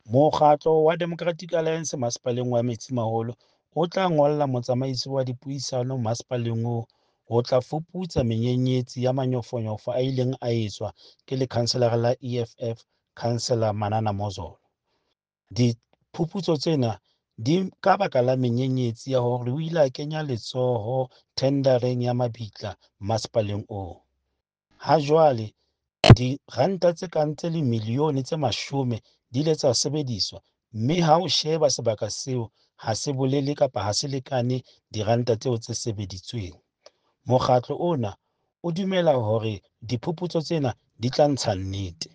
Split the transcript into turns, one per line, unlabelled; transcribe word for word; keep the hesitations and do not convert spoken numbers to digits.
Mokgatlo wa Democratic Alliance Masepaleng wa Metsimaholo o tla ngolla motsamaisi wa dipuisano masepaleng oo ho tla fuputsa menyenyetsi ya manyofonyofo a ileng a etswa ke lekhanselara la E F F, Councillor Manana Mozolo. Diphuputso tsena di ka baka la menyenyetsi ya hore o ile a kenya letsoho thendareng ya mabitla masepaleng oo. Ha jwale diranta tse kang tse limilione tse mashome di ile tsa sebediswa, mme ha o sheba sebaka seo ha se bolele kapa ha se lekane diranta tseo tse sebeditsweng. Mokgatlo ona o dumela hore diphuputso tsena di tla ntsha nnete.